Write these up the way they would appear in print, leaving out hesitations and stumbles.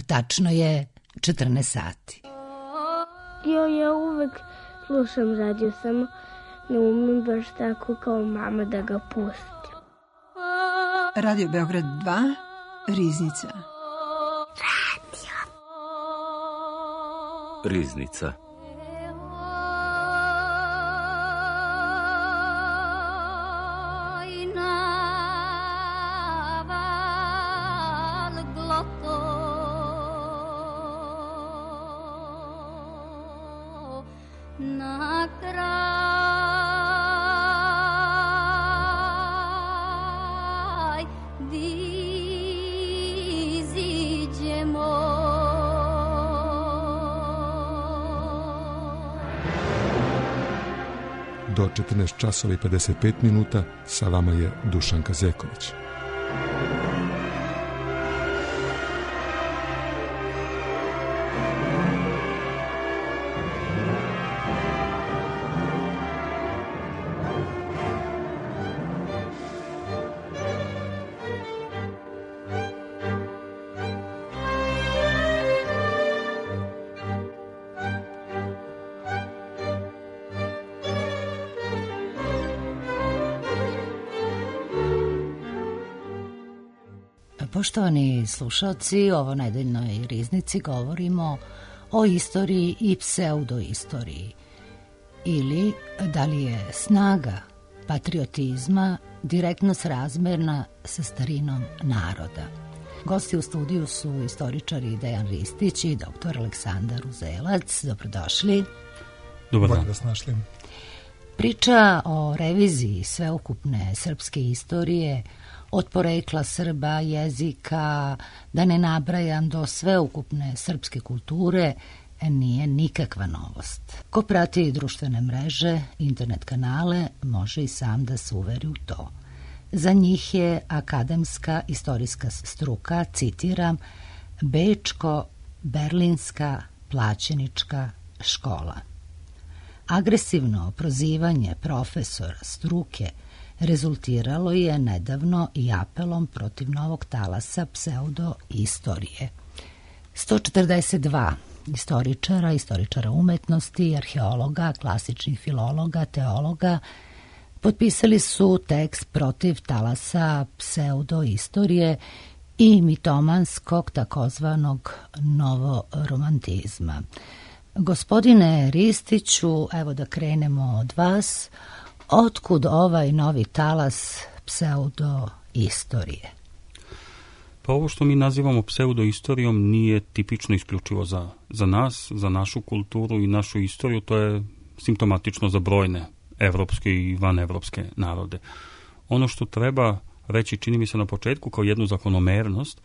tačno je 14 sati. Ja uvek slušam radio, samo ne umem baš tako kao mama da ga pustim. Radio Beograd 2, Riznica. Riznica. Do 14 časova i 55 minuta sa vama je Dušanka Zeković. Poštovani slušalci, ovo nedeljnoj Riznici govorimo o istoriji i pseudoistoriji. Ili da li je snaga patriotizma direktno srazmerna sa starinom naroda. Gosti u studiju su istoričari Dejan Ristić i dr. Aleksandar Uzelac. Dobrodošli. Dobar dan. Da vas našli. Priča o reviziji sveukupne srpske istorije, od porekla Srba, jezika, da ne nabrajam do sveukupne srpske kulture, nije nikakva novost. Ko prati društvene mreže, internet kanale, može i sam da se uveri u to. Za njih je akademska istorijska struka, citiram, bečko-berlinska plaćenička škola. Agresivno prozivanje profesora struke rezultiralo je nedavno i apelom protiv novog talasa pseudoistorije. 142 istoričara umetnosti, arheologa, klasičnih filologa, teologa potpisali su tekst protiv talasa pseudoistorije i mitomanskog takozvanog novoromantizma. Gospodine Ristiću, evo da krenemo od vas. Otkud ovaj novi talas pseudoistorije? Pa ovo što mi nazivamo pseudoistorijom nije tipično isključivo za nas, za našu kulturu i našu istoriju, to je simptomatično za brojne evropske i vanevropske narode. Ono što treba reći, čini mi se na početku, kao jednu zakonomernost,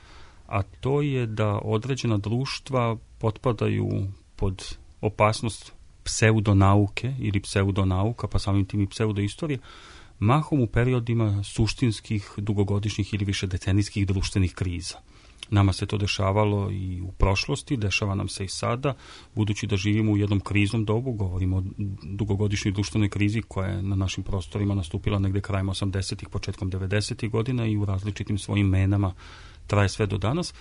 a to je da određena društva potpadaju pod opasnost pseudonauke ili pseudonauka, pa samim tim i pseudoistorije, mahom u periodima suštinskih, dugogodišnjih ili više decenijskih društvenih kriza. Nama se to dešavalo i u prošlosti, dešava nam se i sada, budući da živimo u jednom kriznom dobu, govorimo o dugogodišnjoj društvenoj krizi koja je na našim prostorima nastupila negde krajem 80-ih, početkom 90-ih godina i u različitim svojim menama traje sve do danas.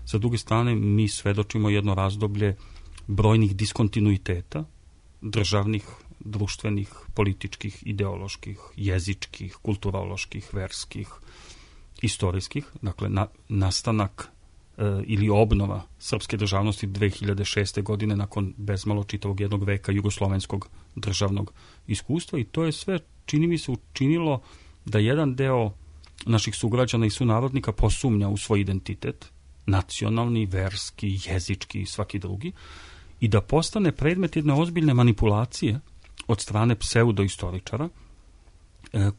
Sa druge strane, mi svedočimo jedno razdoblje brojnih diskontinuiteta, državnih, društvenih, političkih, ideoloških, jezičkih, kulturoloških, verskih, istorijskih, dakle nastanak ili obnova srpske državnosti 2006. godine nakon bezmalo čitavog jednog veka jugoslovenskog državnog iskustva i to je sve, čini mi se, učinilo da jedan deo naših sugrađana i sunarodnika posumnja u svoj identitet, nacionalni, verski, jezički i svaki drugi, i da postane predmet jedne ozbiljne manipulacije od strane pseudoistoričara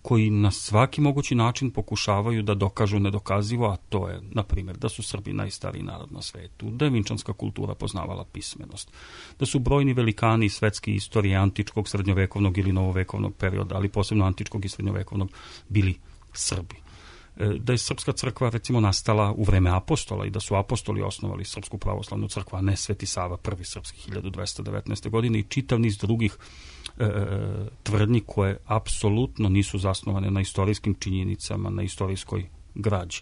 koji na svaki mogući način pokušavaju da dokažu nedokazivo, a to je, na primjer, da su Srbi najstariji narod na svetu, da je vinčanska kultura poznavala pismenost, da su brojni velikani svetske istorije antičkog, srednjovekovnog ili novovekovnog perioda, ali posebno antičkog i srednjovekovnog, bili Srbi. Da je Srpska crkva, recimo, nastala u vreme apostola i da su apostoli osnovali Srpsku pravoslavnu crkvu, a ne Sveti Sava, prvi srpski 1219. godine i čitav niz drugih tvrdnji koje apsolutno nisu zasnovane na istorijskim činjenicama, na istorijskoj građi.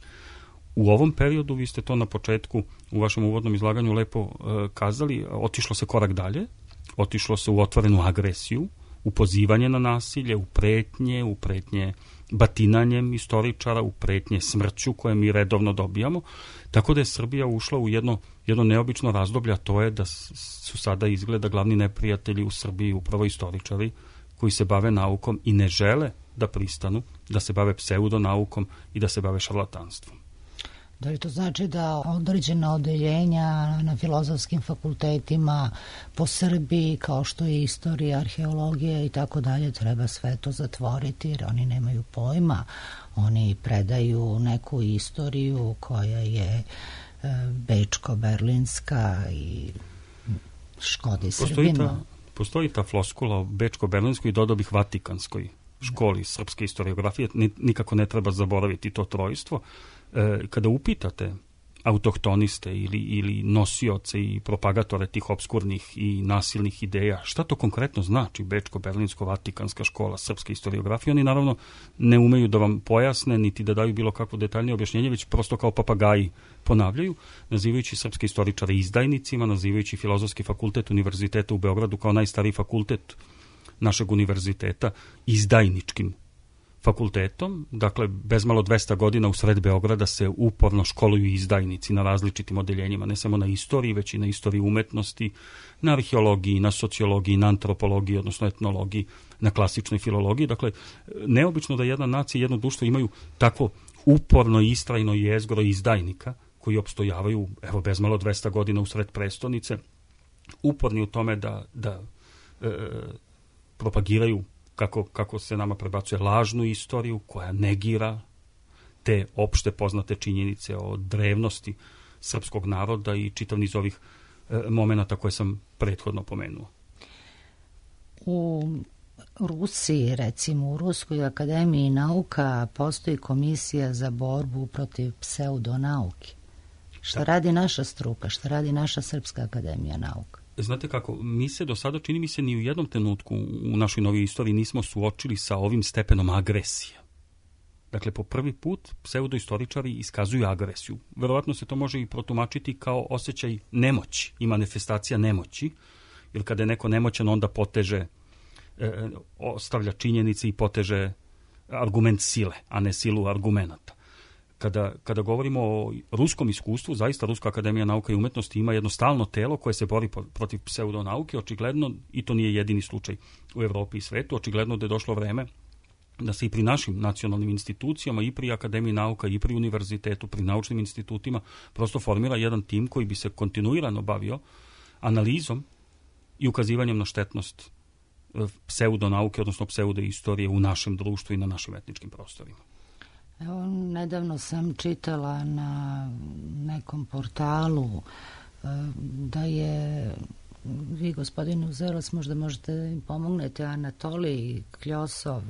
U ovom periodu, vi ste to na početku u vašem uvodnom izlaganju lepo kazali, otišlo se korak dalje, otišlo se u otvorenu agresiju, u pozivanje na nasilje, u pretnje batinanjem istoričara, u pretnje smrću koje mi redovno dobijamo, tako da je Srbija ušla u jedno neobično razdoblje, a to je da su sada izgleda glavni neprijatelji u Srbiji upravo istoričari koji se bave naukom i ne žele da pristanu, da se bave pseudonaukom i da se bave šarlatanstvom. Da li to znači da određena odeljenja na filozofskim fakultetima po Srbiji, kao što je istorija, arheologija i tako dalje, treba sve to zatvoriti jer oni nemaju pojma, oni predaju neku istoriju koja je bečko-berlinska i škodi Srbima. Postoji ta floskula o bečko-berlinskoj i dodao bih vatikanskoj školi srpske historiografije, nikako ne treba zaboraviti to trojstvo. Kada upitate autohtoniste ili nosioce i propagatore tih obskurnih i nasilnih ideja, šta to konkretno znači Bečko-Berlinsko-Vatikanska škola srpske historiografije, oni naravno ne umeju da vam pojasne niti da daju bilo kakvo detaljnije objašnjenje, već prosto kao papagaji ponavljaju, nazivajući srpske istoričare izdajnicima, nazivajući Filozofski fakultet Univerziteta u Beogradu kao najstariji fakultet našeg univerziteta izdajničkim fakultetom. Dakle, bezmalo 200 godina u sred Beograda se uporno školuju izdajnici na različitim odeljenjima, ne samo na istoriji, već i na istoriji umetnosti, na arheologiji, na sociologiji, na antropologiji, odnosno etnologiji, na klasičnoj filologiji. Dakle, neobično da jedna nacija i jedno društvo imaju takvo uporno i istrajno jezgro izdajnika koji opstojavaju, evo, bezmalo 200 godina u sred prestonice, uporni u tome da propagiraju, kako se nama prebacuje, lažnu istoriju koja negira te opšte poznate činjenice o drevnosti srpskog naroda i čitav niz ovih momenata koje sam prethodno pomenuo. U Rusiji, recimo u Ruskoj akademiji nauka, postoji komisija za borbu protiv pseudonauke. Šta radi naša struka, šta radi naša Srpska akademija nauka? Znate kako, mi se do sada, čini mi se, ni u jednom trenutku u našoj novoj istoriji nismo suočili sa ovim stepenom agresije. Dakle, po prvi put pseudoistoričari iskazuju agresiju. Verovatno se to može i protumačiti kao osjećaj nemoći i manifestacija nemoći, jer kada je neko nemoćan, onda poteže, ostavlja činjenice i poteže argument sile, a ne silu argumenata. Kada govorimo o ruskom iskustvu, zaista Ruska akademija nauka i umetnosti ima jedno stalno telo koje se bori protiv pseudonauke, očigledno, i to nije jedini slučaj u Evropi i svetu, očigledno da je došlo vreme da se i pri našim nacionalnim institucijama, i pri Akademiji nauka, i pri univerzitetu, pri naučnim institutima, prosto formira jedan tim koji bi se kontinuirano bavio analizom i ukazivanjem na štetnost pseudonauke, odnosno pseudoistorije u našem društvu i na našim etničkim prostorima. Evo, nedavno sam čitala na nekom portalu da je, vi gospodine Uzerovac možda možete da im pomognete, Anatolij Kljosov,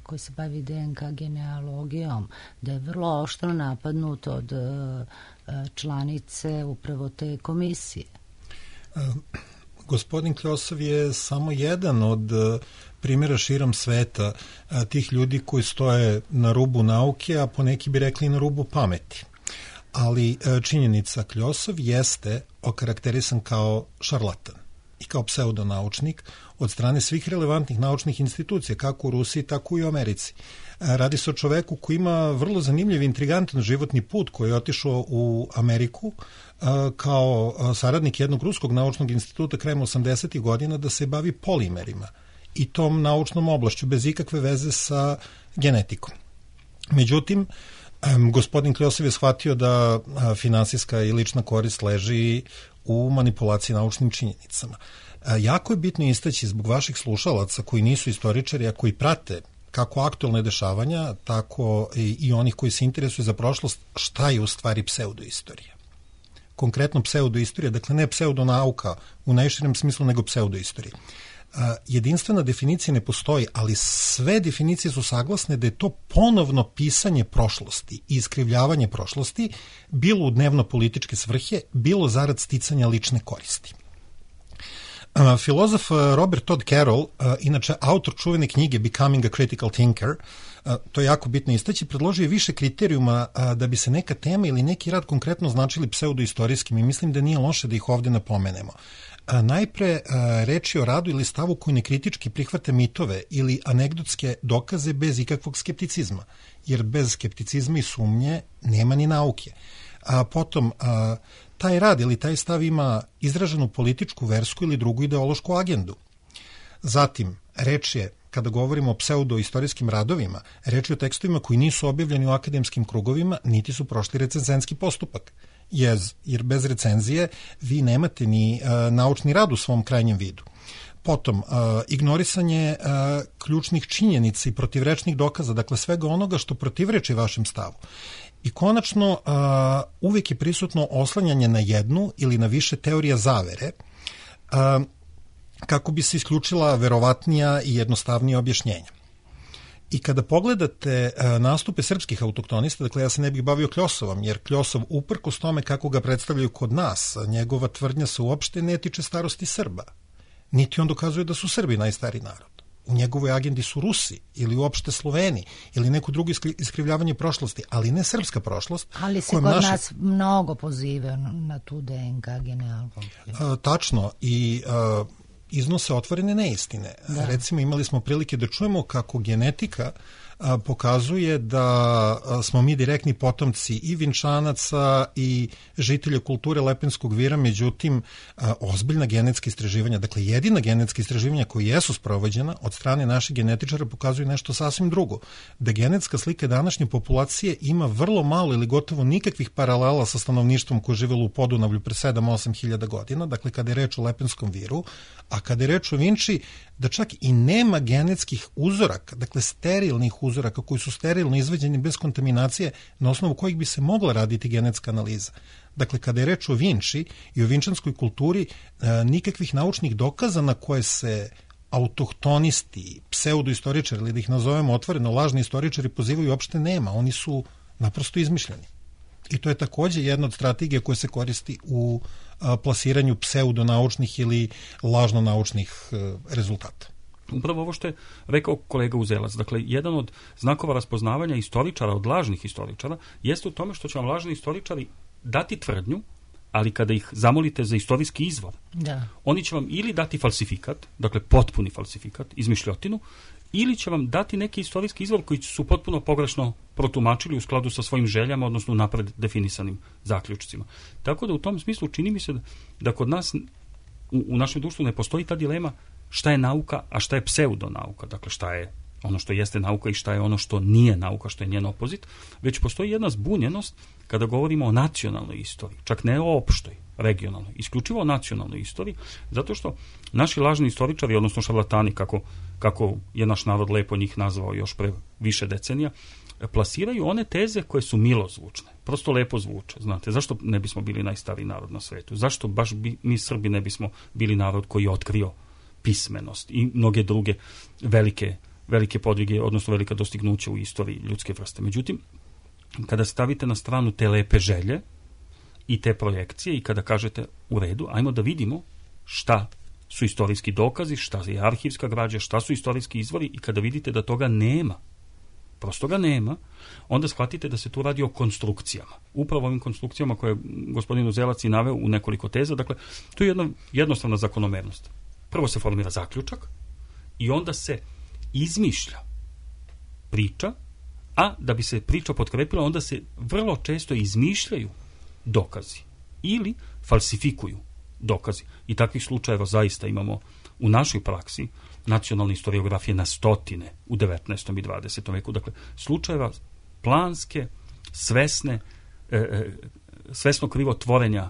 koji se bavi DNK genealogijom, da je vrlo oštro napadnut od članice upravo te komisije. Gospodin Kljosov je samo jedan od primjera širom sveta tih ljudi koji stoje na rubu nauke, a poneki bi rekli na rubu pameti. Ali činjenica, Kljosov jeste okarakterisan kao šarlatan i kao pseudonaučnik od strane svih relevantnih naučnih institucija, kako u Rusiji, tako i u Americi. Radi se o čoveku koji ima vrlo zanimljiv, intrigantan životni put, koji je otišao u Ameriku kao saradnik jednog ruskog naučnog instituta krajem 80. godina da se bavi polimerima i tom naučnom oblašću bez ikakve veze sa genetikom. Međutim, gospodin Kljosov je shvatio da finansijska i lična korist leži u manipulaciji naučnim činjenicama. Jako je bitno istaći zbog vaših slušalaca koji nisu istoričari, a koji prate kako aktualne dešavanja, tako i onih koji se interesuju za prošlost, šta je u stvari pseudoistorija. Konkretno pseudoistorija, dakle ne pseudonauka u najširem smislu, nego pseudoistorija. Jedinstvena definicija ne postoji, ali sve definicije su saglasne da je to ponovno pisanje prošlosti i iskrivljavanje prošlosti, bilo u dnevno-političke svrhe, bilo zarad sticanja lične koristi. Filozof Robert Todd Carroll, inače autor čuvene knjige Becoming a Critical Thinker, to je jako bitno istaći, predložio je više kriterijuma da bi se neka tema ili neki rad konkretno značili pseudoistorijskim i mislim da nije loše da ih ovde napomenemo. Najpre, reč je o radu ili stavu koji nekritički prihvate mitove ili anegdotske dokaze bez ikakvog skepticizma, jer bez skepticizma i sumnje nema ni nauke. Potom, taj rad ili taj stav ima izraženu političku, versku ili drugu ideološku agendu. Zatim, reč je, kada govorimo o pseudoistorijskim radovima, reč je o tekstovima koji nisu objavljeni u akademskim krugovima, niti su prošli recenzentski postupak. Jer bez recenzije vi nemate ni naučni rad u svom krajnjem vidu. Potom, ignorisanje ključnih činjenica i protivrečnih dokaza, dakle svega onoga što protivreči vašem stavu. I konačno, uvijek je prisutno oslanjanje na jednu ili na više teorija zavere, kako bi se isključila verovatnija i jednostavnija objašnjenja. I kada pogledate nastupe srpskih autoktonista, dakle ja se ne bih bavio Kljosovom, jer Kljosov uprkos tome kako ga predstavljaju kod nas, njegova tvrdnja se uopšte ne tiče starosti Srba. Niti on dokazuje da su Srbi najstariji narod. U njegovoj agendi su Rusi ili uopšte Sloveni ili neko drugo iskrivljavanje prošlosti, ali ne srpska prošlost. Ali se kod nas mnogo poziva na tu DNK genealogiju. Tačno i iznose otvorene neistine. Da. Recimo imali smo prilike da čujemo kako genetika pokazuje da smo mi direktni potomci i Vinčanaca i žitelja kulture Lepenskog vira, međutim ozbiljna genetska istraživanja, dakle jedina genetska istraživanja koja jesu sprovođena od strane naših genetičara pokazuju nešto sasvim drugo, da genetska slika današnje populacije ima vrlo malo ili gotovo nikakvih paralela sa stanovništvom koje je živelo u Podunavlju pre 7-8 hiljada godina, dakle kada je reč o Lepenskom viru, a kada je reč o Vinči, da čak i nema genetskih uzoraka, dakle sterilnih uzoraka koji su sterilno izveđeni bez kontaminacije na osnovu kojih bi se mogla raditi genetska analiza. Dakle, kada je reč o Vinči i o vinčanskoj kulturi, nikakvih naučnih dokaza na koje se autohtonisti, pseudoistoričari, ili da ih nazovemo otvoreno lažni istoričari pozivaju, uopšte nema. Oni su naprosto izmišljeni. I to je takođe jedna od strategija koja se koristi u plasiranju pseudonaučnih ili lažno-naučnih rezultata. Upravo ovo što je rekao kolega Uzelac, dakle, jedan od znakova raspoznavanja istoričara od lažnih istoričara jeste u tome što će vam lažni istoričari dati tvrdnju, ali kada ih zamolite za istorijski izvor, oni će vam ili dati falsifikat, dakle potpuni falsifikat, izmišljotinu, ili će vam dati neki istorijski izvor koji su potpuno pogrešno protumačili u skladu sa svojim željama, odnosno napred definisanim zaključcima. Tako da u tom smislu čini mi se da kod nas u našem društvu ne postoji ta dilema šta je nauka, a šta je pseudonauka, dakle šta je ono što jeste nauka i šta je ono što nije nauka, što je njen opozit, već postoji jedna zbunjenost kada govorimo o nacionalnoj istoriji, čak ne o opštoj, regionalnoj, isključivo o nacionalnoj istoriji, zato što naši lažni istoričari, odnosno šarlatani, kako je naš narod lepo njih nazvao još pre više decenija, plasiraju one teze koje su milozvučne, prosto lepo zvuče. Znate, zašto ne bismo bili najstariji narod na svetu? Zašto baš mi Srbi ne bismo bili narod koji je otkrio pismenost i mnoge druge velike podvige, odnosno velika dostignuća u istoriji ljudske vrste. Međutim, kada stavite na stranu te lepe želje i te projekcije i kada kažete u redu, ajmo da vidimo šta su istorijski dokazi, šta je arhivska građa, šta su istorijski izvori i kada vidite da toga nema, prosto ga nema, onda shvatite da se tu radi o konstrukcijama. Upravo ovim konstrukcijama koje je gospodin Uzelac i naveo u nekoliko teza, dakle, to je jedna jednostavna zakonomernost. Prvo se formira zaključak i onda se izmišlja priča, a da bi se priča potkrepila, onda se vrlo često izmišljaju dokazi ili falsifikuju dokazi. I takvih slučajeva zaista imamo u našoj praksi nacionalne historiografije na stotine u 19. i 20. veku. Dakle, slučajeva planske, svesno krivotvorenja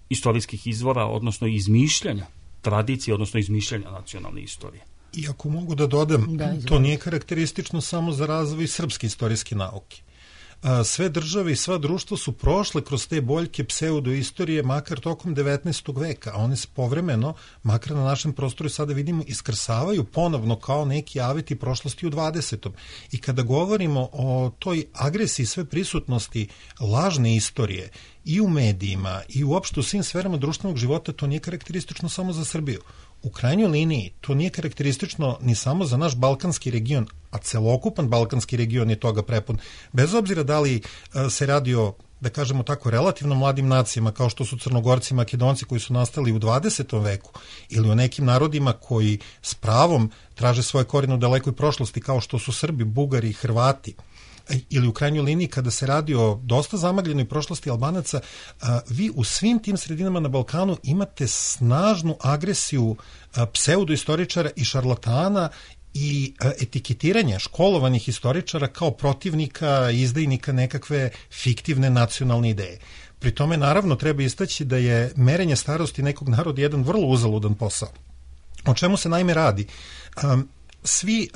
istorijskih izvora, odnosno izmišljanja tradicije, odnosno izmišljanja nacionalne istorije. I ako mogu da dodam, to nije karakteristično samo za razvoj srpske istorijske nauke. Sve države i sva društva su prošle kroz te boljke pseudoistorije makar tokom 19. veka, a one se povremeno, makar na našem prostoru sada vidimo, iskrsavaju ponovno kao neki aveti prošlosti u 20. I kada govorimo o toj agresiji sve prisutnosti lažne istorije i u medijima i uopšte u svim sferama društvenog života, to nije karakteristično samo za Srbiju. u krajnjoj liniji to nije karakteristično ni samo za naš balkanski region, a celokupan balkanski region je toga prepun. Bez obzira da li se radi o, da kažemo tako, relativno mladim nacijama kao što su Crnogorci i Makedonci koji su nastali u 20. veku ili o nekim narodima koji s pravom traže svoje korijene u dalekoj prošlosti kao što su Srbi, Bugari, Hrvati, ili u krajnjoj liniji kada se radi o dosta zamagljenoj prošlosti Albanaca, vi u svim tim sredinama na Balkanu imate snažnu agresiju pseudoistoričara i šarlatana i etiketiranje školovanih istoričara kao protivnika i izdajnika nekakve fiktivne nacionalne ideje. Pri tome naravno treba istaći da je merenje starosti nekog naroda jedan vrlo uzaludan posao. O čemu se naime radi? Svi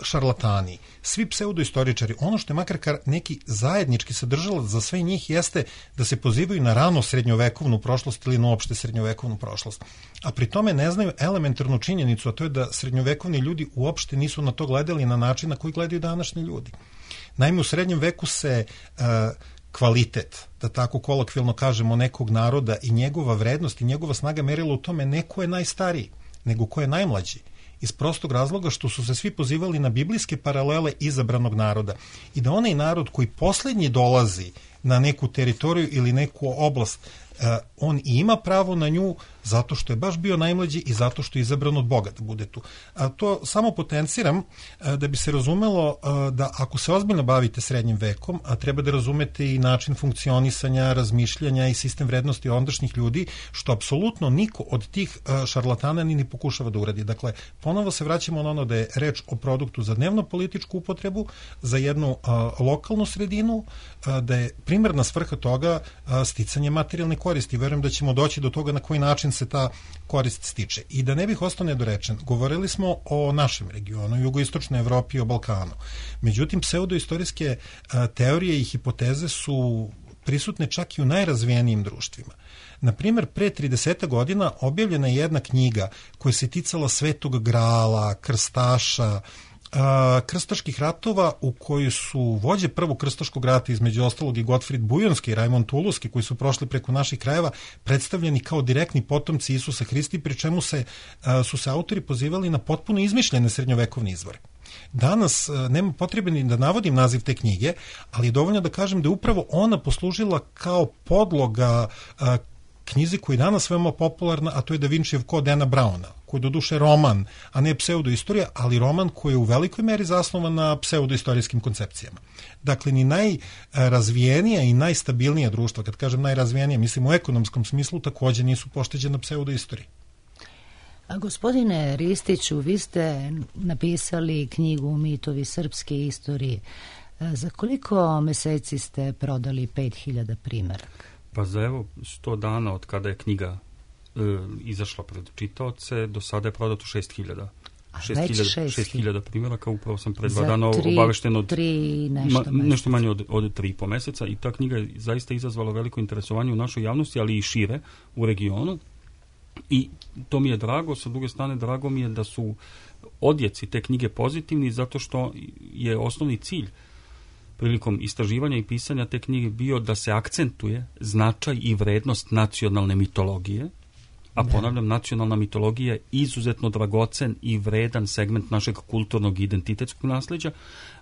šarlatani, svi pseudoistoričari, ono što je makar neki zajednički sadržalac za sve njih jeste da se pozivaju na rano srednjovekovnu prošlost ili na uopšte srednjovekovnu prošlost. A pri tome ne znaju elementarnu činjenicu, a to je da srednjovekovni ljudi uopšte nisu na to gledali na način na koji gledaju današnji ljudi. Naime, u srednjem veku se kvalitet, da tako kolokvijalno kažemo, nekog naroda i njegova vrednost i njegova snaga merila u tome ne ko je najstariji, nego ko je najmlađi. Iz prostog razloga što su se svi pozivali na biblijske paralele izabranog naroda i da onaj narod koji poslednji dolazi na neku teritoriju ili neku oblast, on ima pravo na nju zato što je baš bio najmlađi i zato što je izabran od Boga da bude tu. To samo potenciram da bi se razumelo da ako se ozbiljno bavite srednjim vekom, treba da razumete i način funkcionisanja, razmišljanja i sistem vrednosti ondašnjih ljudi, što apsolutno niko od tih šarlatana ni pokušava da uradi. Dakle, ponovo se vraćamo na ono da je reč o produktu za dnevno političku upotrebu, za jednu lokalnu sredinu, da je primarna svrha toga sticanje materijalne koristi. Verujem da ćemo doći do toga na koji način se ta korist stiče. I da ne bih ostao nedorečen, govorili smo o našem regionu, jugoistočnoj Evropi i o Balkanu. Međutim, pseudoistorijske teorije i hipoteze su prisutne čak i u najrazvijenijim društvima. Naprimer, pre 30 godina objavljena je jedna knjiga koja se ticala Svetog Grala, krstaša, krstaških ratova u kojoj su vođe prvog krstaškog rata, između ostalog i Gotfrid Bujonski i Rajmond Tuluski, koji su prošli preko naših krajeva, predstavljeni kao direktni potomci Isusa Hrista, pri čemu su se autori pozivali na potpuno izmišljene srednjovekovne izvore. Danas nema potrebe ni da navodim naziv te knjige, ali je dovoljno da kažem da je upravo ona poslužila kao podloga knjizi koja je danas veoma popularna, a to je Da Vincijev kod Dana Browna, koji je doduše roman, a ne pseudoistorija, ali roman koji je u velikoj meri zasnovan na pseudoistorijskim koncepcijama. Dakle, ni najrazvijenija i najstabilnija društva, kad kažem najrazvijenija, mislim u ekonomskom smislu, takođe nisu pošteđena pseudoistoriji. A gospodine Ristiću, vi ste napisali knjigu Mitovi srpske istorije. Za koliko meseci ste prodali 5000 primeraka? Pa za 100 dana od kada je knjiga izašla pred čitaoce, do sada je prodato 6000. 6000 primjeraka, upravo sam pred 2 dana obavešten od nešto manje od 3,5 meseca i ta knjiga je zaista izazvala veliko interesovanje u našoj javnosti, ali i šire u regionu. I to mi je drago, sa druge strane drago mi je da su odjeci te knjige pozitivni, zato što je osnovni cilj prilikom istraživanja i pisanja te knjige bio da se akcentuje značaj i vrednost nacionalne mitologije, a ponavljam, nacionalna mitologija je izuzetno dragocen i vredan segment našeg kulturnog i identitetskog nasleđa,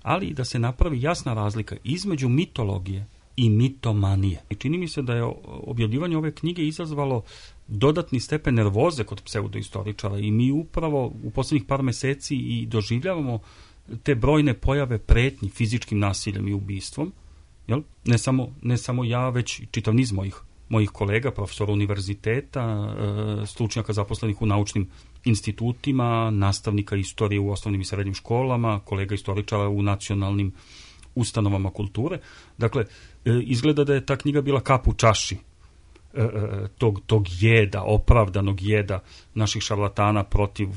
ali i da se napravi jasna razlika između mitologije i mitomanije. I čini mi se da je objavljivanje ove knjige izazvalo dodatni stepen nervoze kod pseudoistoričara i mi upravo u poslednjih par meseci i doživljavamo te brojne pojave pretnji fizičkim nasiljem i ubistvom, jel? Ne samo ja, već i čitav niz mojih kolega, profesora univerziteta, stručnjaka zaposlenih u naučnim institutima, nastavnika istorije u osnovnim i srednjim školama, kolega istoričara u nacionalnim ustanovama kulture. Dakle, izgleda da je ta knjiga bila kap u čaši tog jeda, opravdanog jeda naših šarlatana protiv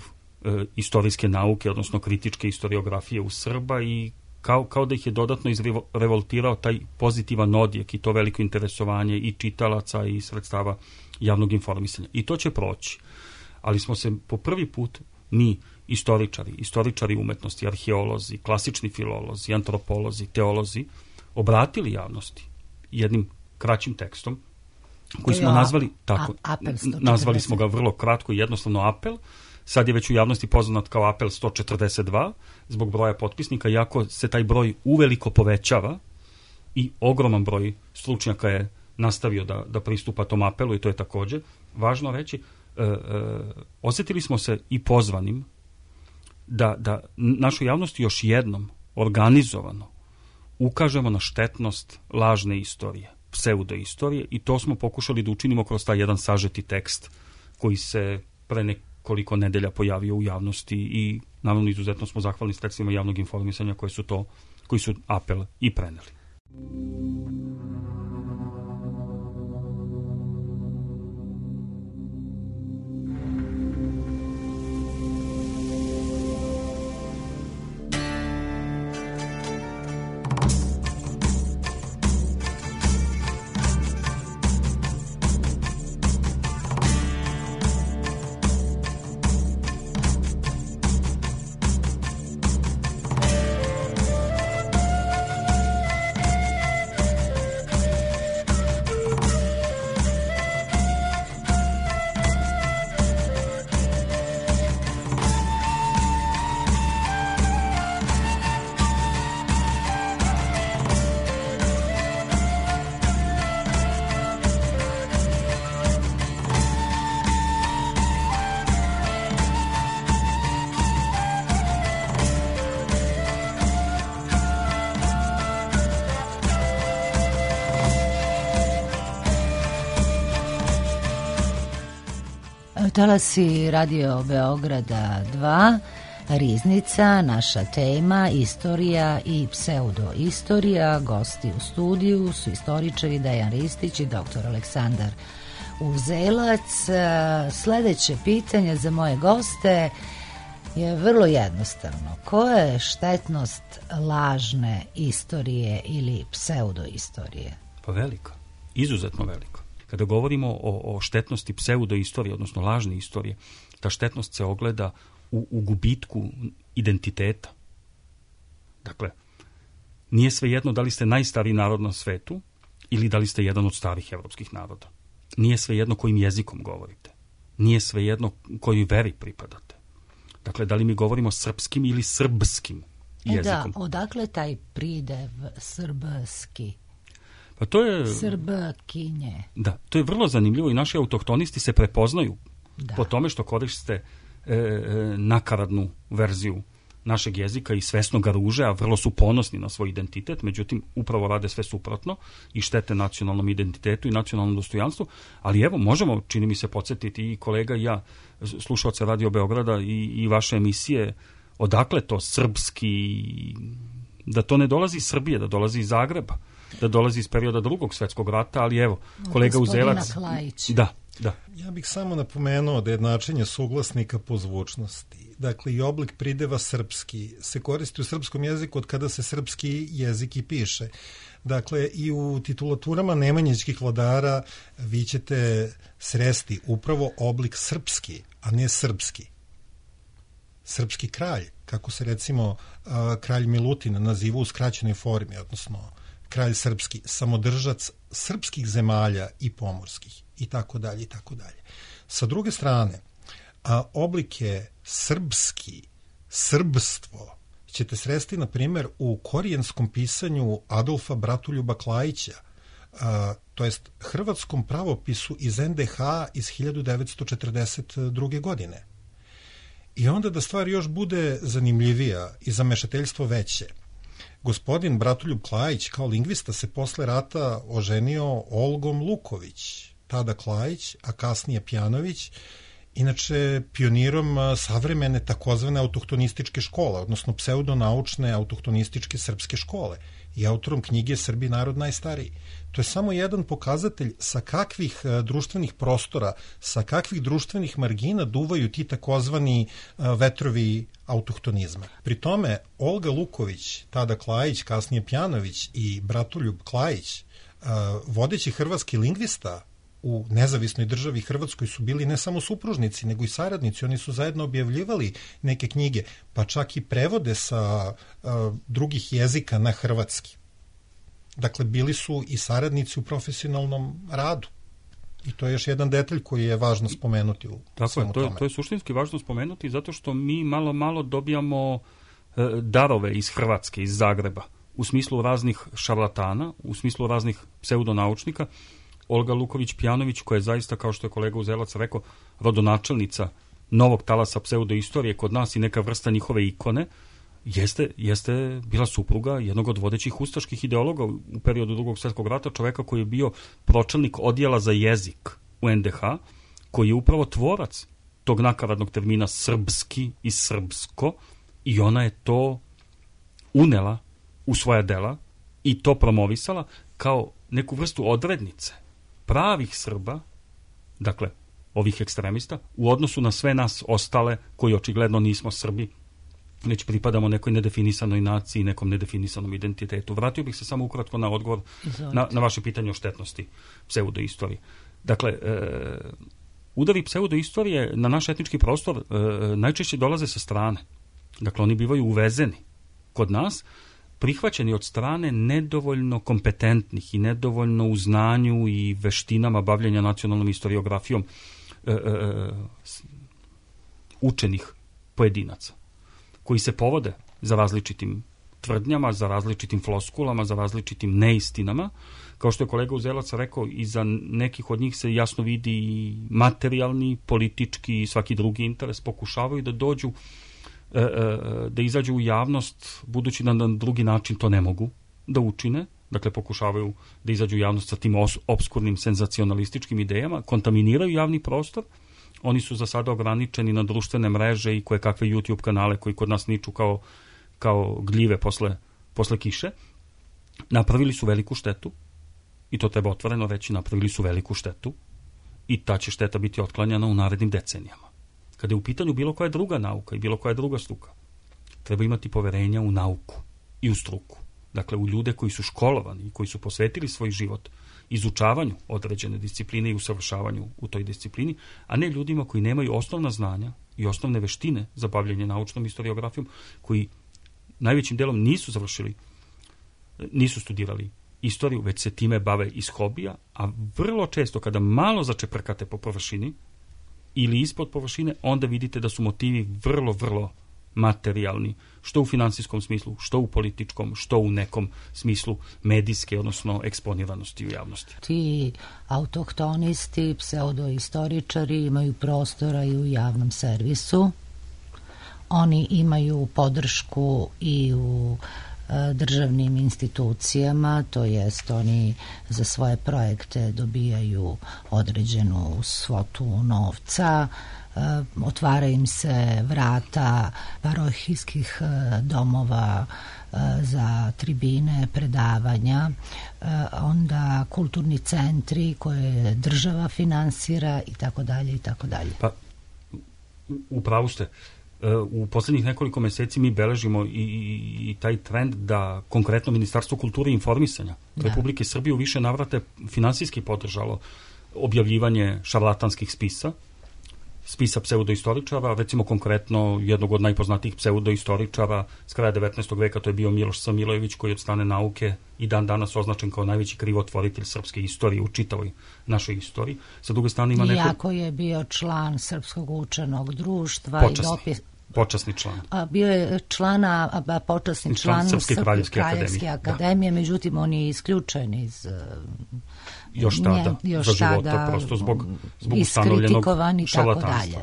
istorijske nauke, odnosno kritičke historiografije u Srba i kao da ih je dodatno izrevoltirao taj pozitivan odjek i to veliko interesovanje i čitalaca i sredstava javnog informisanja. I to će proći. Ali smo se po prvi put mi, istoričari umetnosti, arheolozi, klasični filolozi, antropolozi, teolozi, obratili javnosti jednim kraćim tekstom koji smo nazvali tako. Nazvali smo ga vrlo kratko i jednostavno apel, sad je već u javnosti poznat kao apel 142 zbog broja potpisnika, iako se taj broj uveliko povećava i ogroman broj stručnjaka je nastavio da pristupa tom apelu i to je također važno reći. Osjetili smo se i pozvanim da našoj javnosti još jednom organizovano ukažemo na štetnost lažne istorije, pseudoistorije, i to smo pokušali da učinimo kroz taj jedan sažeti tekst koji se pre nekoliko nedelja pojavio u javnosti i naravno izuzetno smo zahvalni sredstvima javnog informisanja koji su apel i preneli. Talasi Radio Beograda 2, Riznica, naša tema, istorija i pseudoistorija. Gosti u studiju su istoričari Dejan Ristić i dr. Aleksandar Uzelac. Sledeće pitanje za moje goste je vrlo jednostavno. Koja je štetnost lažne istorije ili pseudoistorije? Pa veliko, izuzetno veliko. Kada govorimo o štetnosti pseudoistorije, odnosno lažne istorije, ta štetnost se ogleda u gubitku identiteta. Dakle, nije svejedno da li ste najstariji narod na svetu ili da li ste jedan od starih evropskih naroda. Nije svejedno kojim jezikom govorite. Nije svejedno kojoj veri pripadate. Dakle, da li mi govorimo srpskim ili srbskim jezikom. Da, odakle taj pridev srbski? Pa to je Srbkinje. Da, to je vrlo zanimljivo i naši autohtonisti se prepoznaju po tome što koriste nakaradnu verziju našeg jezika i svesno ga ruže, a vrlo su ponosni na svoj identitet, međutim upravo rade sve suprotno i štete nacionalnom identitetu i nacionalnom dostojanstvu, ali evo možemo, čini mi se, podsjetiti i kolega i ja, slušalce Radio Beograda i vaše emisije, odakle to srpski, da to ne dolazi iz Srbije, da dolazi iz Zagreba, da dolazi iz perioda Drugog svjetskog rata, ali evo, kolega Uzelac. Da. Ja bih samo napomenuo da je jednačenje suglasnika po zvučnosti. Dakle, i oblik prideva srpski se koristi u srpskom jeziku od kada se srpski jezik i piše. Dakle, i u titulaturama nemanjićkih vladara vi ćete sresti upravo oblik srpski, a ne srpski. Srpski kralj, kako se recimo kralj Milutin naziva u skraćenoj formi, odnosno kralj srpski, samodržac srpskih zemalja i pomorskih, i tako dalje, i tako dalje. Sa druge strane, oblike srpski, srbstvo, ćete sresti, na primjer, u korijenskom pisanju Adolfa Bratoljuba Klajića, to jest hrvatskom pravopisu iz NDH iz 1942. godine. I onda da stvar još bude zanimljivija i zamešateljstvo veće, gospodin Bratoljub Klajić kao lingvista se posle rata oženio Olgom Luković, tada Klajić, a kasnije Pjanović, inače pionirom savremene takozvane autohtonističke škole, odnosno pseudonaučne autohtonističke srpske škole i autorom knjige Srbi narod najstariji. To je samo jedan pokazatelj sa kakvih društvenih prostora, sa kakvih društvenih margina duvaju ti takozvani vetrovi autohtonizma. Pri tome, Olga Luković, tada Klajić, kasnije Pjanović i Bratoljub Klajić, vodeći hrvatski lingvista u nezavisnoj državi Hrvatskoj, su bili ne samo supružnici, nego i saradnici. Oni su zajedno objavljivali neke knjige, pa čak i prevode sa drugih jezika na hrvatski. Dakle, bili su i saradnici u profesionalnom radu. I to je još jedan detalj koji je važno spomenuti u svemu tome. To je suštinski važno spomenuti zato što mi malo dobijamo darove iz Hrvatske, iz Zagreba, u smislu raznih šarlatana, u smislu raznih pseudonaučnika. Olga Luković-Pjanović, koja je zaista, kao što je kolega Uzelac rekao, rodonačelnica novog talasa pseudoistorije kod nas i neka vrsta njihove ikone, jeste bila supruga jednog od vodećih ustaških ideologa u periodu Drugog svjetskog rata, čoveka koji je bio pročelnik odjela za jezik u NDH, koji je upravo tvorac tog nakaradnog termina srpski i srpsko, i ona je to unela u svoja dela i to promovisala kao neku vrstu odrednice pravih Srba, dakle ovih ekstremista, u odnosu na sve nas ostale koji očigledno nismo Srbi, već pripadamo nekoj nedefinisanoj naciji, nekom nedefinisanom identitetu. Vratio bih se samo ukratko na odgovor na vaše pitanje o štetnosti pseudoistorije. Dakle, udari pseudoistorije na naš etnički prostor najčešće dolaze sa strane. Dakle, oni bivaju uvezeni kod nas, prihvaćeni od strane nedovoljno kompetentnih i nedovoljno u znanju i veštinama bavljenja nacionalnom istoriografijom učenih pojedinaca, koji se povode za različitim tvrdnjama, za različitim floskulama, za različitim neistinama. Kao što je kolega Uzelac rekao, iza nekih od njih se jasno vidi i materijalni, politički i svaki drugi interes. Pokušavaju da dođu, da izađu u javnost, budući da na drugi način to ne mogu da učine. Dakle, pokušavaju da izađu u javnost sa tim obskurnim senzacionalističkim idejama, kontaminiraju javni prostor. Oni su za sada ograničeni na društvene mreže i koje kakve YouTube kanale koji kod nas niču kao gljive posle kiše. Napravili su veliku štetu, i to treba otvoreno reći, napravili su veliku štetu, i ta će šteta biti otklanjana u narednim decenijama. Kada je u pitanju bilo koja druga nauka i bilo koja druga struka, treba imati poverenja u nauku i u struku. Dakle, u ljude koji su školovani i koji su posvetili svoj život izučavanju određene discipline i usavršavanju u toj disciplini, a ne ljudima koji nemaju osnovna znanja i osnovne veštine za bavljenje naučnom istoriografijom, koji najvećim delom nisu studirali istoriju, već se time bave iz hobija, a vrlo često kada malo začeprkate po površini ili ispod površine, onda vidite da su motivi vrlo, vrlo materijalni, što u finansijskom smislu, što u političkom, što u nekom smislu medijske, odnosno eksponiranosti u javnosti. Ti autohtonisti, pseudoistoričari imaju prostora i u javnom servisu. Oni imaju podršku i u državnim institucijama, to jest oni za svoje projekte dobijaju određenu svotu novca, otvaraju im se vrata parohijskih domova za tribine, predavanja, onda kulturni centri koje država finansira i tako dalje i tako dalje. Pa, upravo ste. U poslednjih nekoliko meseci mi beležimo i taj trend da konkretno Ministarstvo kulture i informisanja Republike Srbije u više navrate finansijski podržalo objavljivanje šarlatanskih spisa pseudoistoričara, recimo konkretno jednog od najpoznatijih pseudoistoričara s kraja 19. veka, to je bio Miloš Samilojević, koji je od strane nauke i dan danas označen kao najveći krivotvoritelj srpske istorije u čitavoj našoj istoriji. Sa druge strane ima Iako je bio član Srpskog učenog društva počasni član. Bio je počasni član Srpske kraljevske akademije, međutim on je isključen iz još tada za života, prosto zbog ustanovljenog šarlatanstva.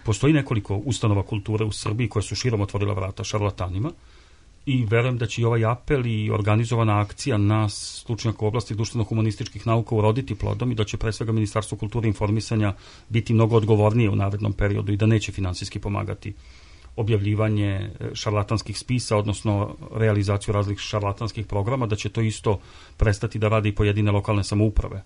Postoji nekoliko ustanova kulture u Srbiji koje su širom otvorila vrata šarlatanima i verujem da će i ovaj apel i organizovana akcija nas, stručnjaka u oblasti društveno-humanističkih nauka, uroditi plodom i da će pre svega Ministarstvo kulture i informisanja biti mnogo odgovornije u narednom periodu i da neće finansijski pomagati objavljivanje šarlatanskih spisa, odnosno realizaciju različitih šarlatanskih programa, da će to isto prestati da radi i pojedine lokalne samouprave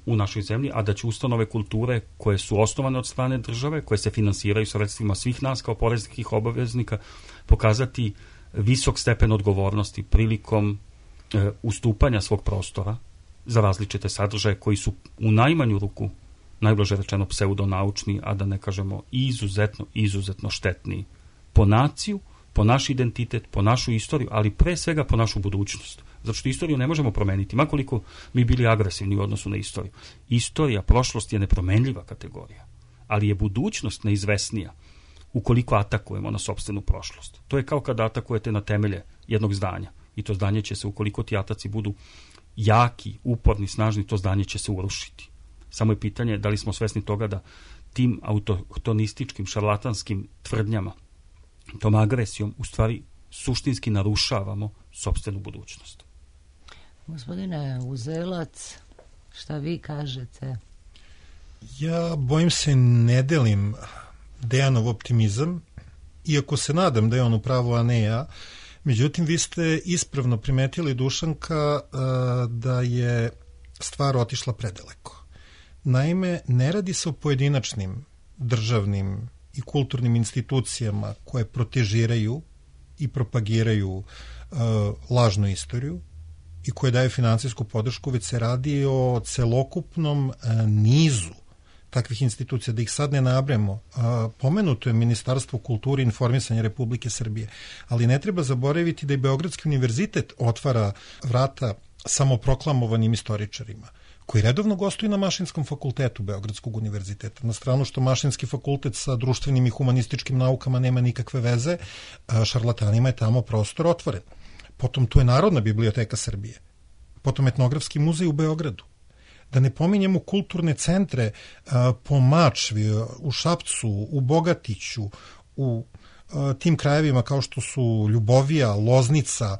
u našoj zemlji, a da će ustanove kulture koje su osnovane od strane države, koje se finansiraju sredstvima svih nas kao poreskih obaveznika, pokazati visok stepen odgovornosti prilikom ustupanja svog prostora za različite sadržaje koji su u najmanju ruku, najblaže rečeno, pseudonaučni, a da ne kažemo izuzetno štetni po naciju, po naš identitet, po našu istoriju, ali pre svega po našu budućnost. Zato što istoriju ne možemo promeniti, makoliko mi bili agresivni u odnosu na istoriju. Istorija, prošlost je nepromenljiva kategorija, ali je budućnost neizvesnija ukoliko atakujemo na sopstvenu prošlost. To je kao kada atakujete na temelje jednog zdanja i to zdanje će se, ukoliko ti ataci budu jaki, uporni, snažni, to zdanje će se urušiti. Samo je pitanje da li smo svesni toga da tim autohtonističkim, šarlatanskim tvrdnjama, tom agresijom, u stvari suštinski narušavamo sopstvenu budućnost. Gospodine Uzelac, šta vi kažete? Ja, bojim se, ne delim Dejanov optimizam, iako se nadam da je on u pravu, a ne ja. Međutim, vi ste ispravno primetili, Dušanka, da je stvar otišla predaleko. Naime, ne radi se o pojedinačnim državnim i kulturnim institucijama koje protežiraju i propagiraju lažnu istoriju i koje daju financijsku podršku, već se radi o celokupnom nizu takvih institucija, da ih sad ne nabremo. Pomenuto je Ministarstvo kulture i informisanja Republike Srbije, ali ne treba zaboraviti da i Beogradski univerzitet otvara vrata samoproklamovanim istoričarima, koji redovno gostuju na Mašinskom fakultetu Beogradskog univerziteta. Na stranu što Mašinski fakultet sa društvenim i humanističkim naukama nema nikakve veze, šarlatanima je tamo prostor otvoren. Potom tu je Narodna biblioteka Srbije, potom Etnografski muzej u Beogradu. Da ne pominjemo kulturne centre po Mačvi, u Šapcu, u Bogatiću, u tim krajevima kao što su Ljubovija, Loznica,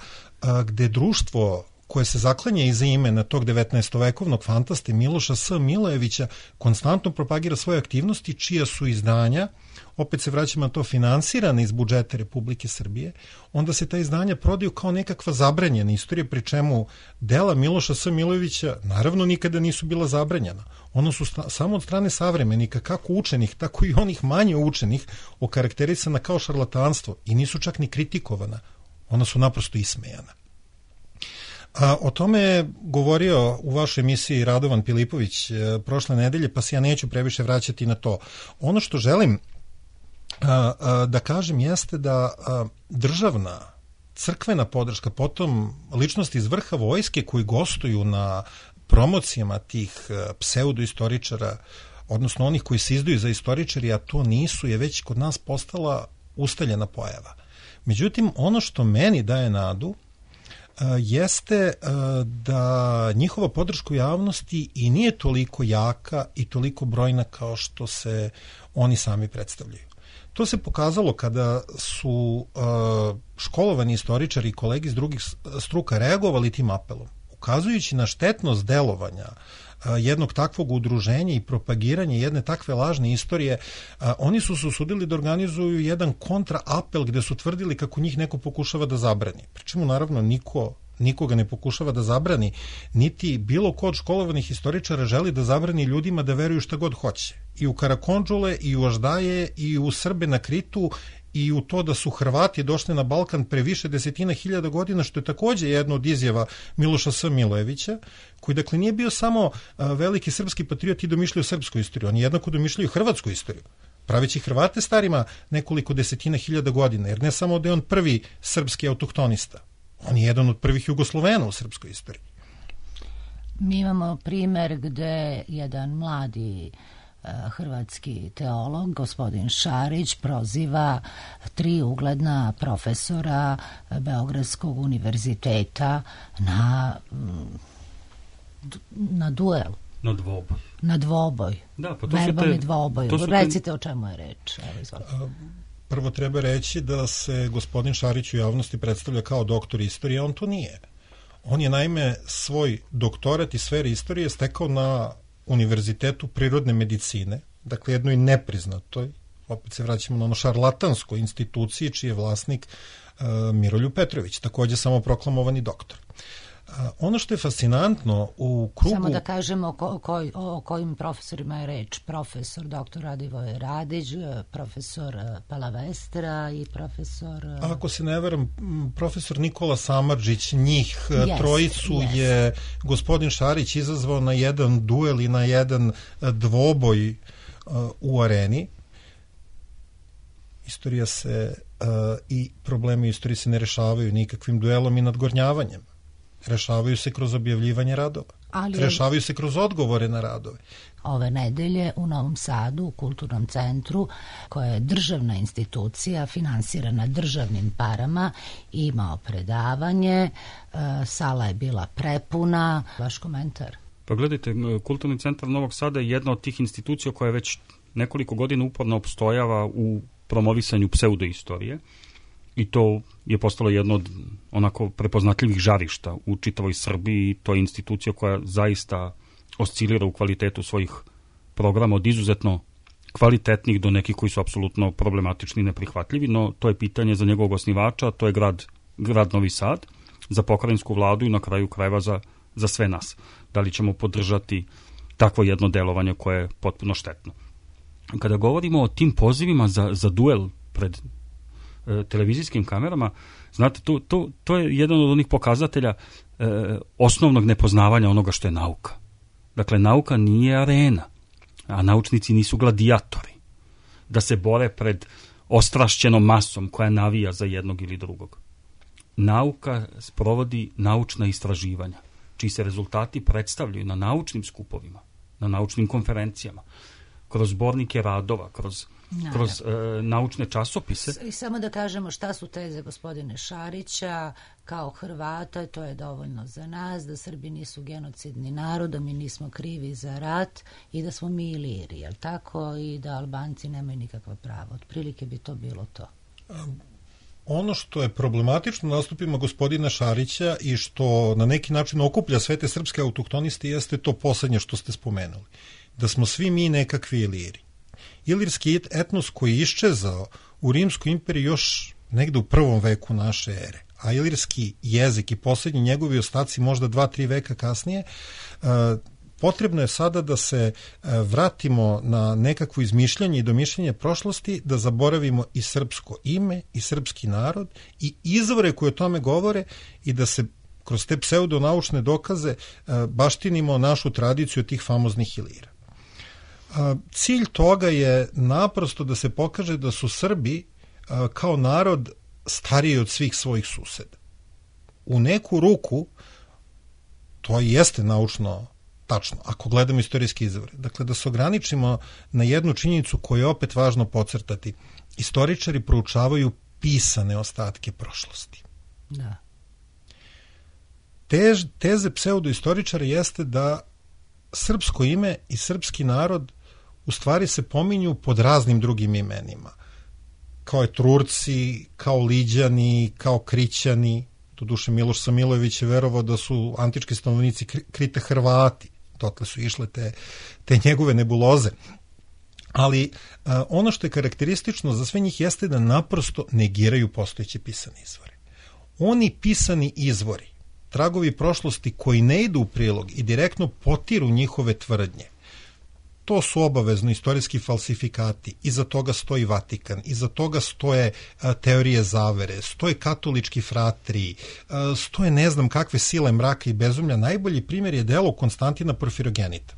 gde društvo koje se zaklanja iza imena tog 19-vekovnog fantaste Miloša S. Milojevića konstantno propagira svoje aktivnosti, čija su izdanja, opet se vraćamo na to, finansirane iz budžeta Republike Srbije, onda se ta izdanja prodaju kao nekakva zabranjena istorija, pri čemu dela Miloša S. Milojevića naravno nikada nisu bila zabranjena. Ona su samo od strane savremenika, kako učenih, tako i onih manje učenih, okarakterisana kao šarlatanstvo i nisu čak ni kritikovana. Ona su naprosto ismejana. O tome je govorio u vašoj emisiji Radovan Pilipović prošle nedelje, pa se ja neću previše vraćati na to. Ono što želim da kažem jeste da državna, crkvena podrška, potom ličnosti iz vrha vojske koji gostuju na promocijama tih pseudoistoričara, odnosno onih koji se izdaju za istoričari, a to nisu, je već kod nas postala ustaljena pojava. Međutim, ono što meni daje nadu jeste da njihova podrška u javnosti i nije toliko jaka i toliko brojna kao što se oni sami predstavljaju. To se pokazalo kada su školovani istoričari i kolegi iz drugih struka reagovali tim apelom, ukazujući na štetnost delovanja jednog takvog udruženja i propagiranja jedne takve lažne istorije. Oni su se usudili da organizuju jedan kontraapel gde su tvrdili kako njih neko pokušava da zabrani. Pričemu naravno nikoga ne pokušava da zabrani, niti bilo ko od školovanih istoričara želi da zabrani ljudima da veruju šta god hoće. I u Karakondžule, i u Aždaje, i u Srbe na Kritu, i u to da su Hrvati došli na Balkan pre više desetina hiljada godina, što je takođe jedno od izjava Miloša S. Milojevića, koji dakle nije bio samo veliki srpski patriot i domišljao srpsku istoriju, on je jednako domišljao hrvatsku istoriju, praveći Hrvate starima nekoliko desetina hiljada godina, jer ne samo da je on prvi srpski autohtonista, on je jedan od prvih Jugoslovena u srpskoj istoriji. Mi imamo primer gde jedan mladi hrvatski teolog, gospodin Šarić, proziva 3 ugledna profesora Beogradskog univerziteta na duel. Na dvoboj. Da, pa verbalni dvoboj. Recite o čemu je reč. Prvo treba reći da se gospodin Šarić u javnosti predstavlja kao doktor istorije, a on to nije. On je naime svoj doktorat iz sfere istorije stekao na Univerzitetu prirodne medicine, dakle jednoj nepriznatoj, opet se vraćamo na ono šarlatanskoj instituciji čiji je vlasnik Miroljub Petrović, takođe samoproklamovani doktor. Ono što je fascinantno u krugu... Samo da kažemo o kojim profesorima je reč. Profesor dr. Radivoje Radić, profesor Palavestra i profesor... Ako se ne veram, profesor Nikola Samardžić, njih trojicu je gospodin Šarić izazvao na jedan duel i na jedan dvoboj u areni. Istorija se i problemi istorije se ne rešavaju nikakvim duelom i nadgornjavanjem. Rešavaju se kroz objavljivanje radova. Rešavaju se kroz odgovore na radove. Ove nedelje u Novom Sadu, u Kulturnom centru, koja je državna institucija, finansirana državnim parama, imao predavanje, sala je bila prepuna. Vaš komentar? Pa gledajte, Kulturni centar Novog Sada je jedna od tih institucija koja već nekoliko godina uporno opstojava u promovisanju pseudoistorije i to je postalo jedno od onako prepoznatljivih žarišta u čitavoj Srbiji. To je institucija koja zaista oscilira u kvalitetu svojih programa od izuzetno kvalitetnih do nekih koji su apsolutno problematični i neprihvatljivi, no to je pitanje za njegovog osnivača, to je grad Novi Sad, za pokrajinsku vladu i na kraju krajeva za sve nas. Da li ćemo podržati takvo jedno delovanje koje je potpuno štetno. Kada govorimo o tim pozivima za duel pred televizijskim kamerama, znate, to je jedan od onih pokazatelja osnovnog nepoznavanja onoga što je nauka. Dakle, nauka nije arena, a naučnici nisu gladijatori da se bore pred ostrašćenom masom koja navija za jednog ili drugog. Nauka sprovodi naučna istraživanja, čiji se rezultati predstavljaju na naučnim skupovima, na naučnim konferencijama, kroz zbornike radova, kroz naučne časopise. I samo da kažemo šta su teze gospodine Šarića, kao Hrvata, to je dovoljno za nas, da Srbi nisu genocidni narod, da mi nismo krivi za rat i da smo mi Iliri, jel tako? I da Albanci nemaju nikakva prava. Otprilike bi to bilo to. Ono što je problematično nastupima gospodina Šarića i što na neki način okuplja sve te srpske autohtonisti jeste to poslednje što ste spomenuli. Da smo svi mi nekakvi Iliri. Ilirski etnos koji je iščezao u Rimskoj imperiji još negde u 1. veku naše ere, a ilirski jezik i poslednji njegovi ostaci možda 2-3 veka kasnije, potrebno je sada da se vratimo na nekakvo izmišljanje i domišljanje prošlosti, da zaboravimo i srpsko ime i srpski narod i izvore koje o tome govore i da se kroz te pseudonaučne dokaze baštinimo našu tradiciju tih famoznih Ilira. Cilj toga je naprosto da se pokaže da su Srbi kao narod stariji od svih svojih suseda. U neku ruku to jeste naučno tačno, ako gledamo istorijski izvore. Dakle, da se ograničimo na jednu činjenicu koju je opet važno podcrtati. Istoričari proučavaju pisane ostatke prošlosti. Da. Teze pseudoistoričara jeste da srpsko ime i srpski narod u stvari se pominju pod raznim drugim imenima. Kao Etrurci, kao Liđani, kao Krićani. Doduše Miloš Samilojević je verovao da su antički stanovnici Krite Hrvati. Dotle su išle te njegove nebuloze. Ali ono što je karakteristično za sve njih jeste da naprosto negiraju postojeće pisane izvore. Oni pisani izvori, tragovi prošlosti koji ne idu u prilog i direktno potiru njihove tvrdnje, to su obavezno istorijski falsifikati, iza toga stoji Vatikan, iza toga stoje teorije zavere, stoje katolički fratri, stoje ne znam kakve sile mraka i bezumlja. Najbolji primjer je delo Konstantina Porfirogenita.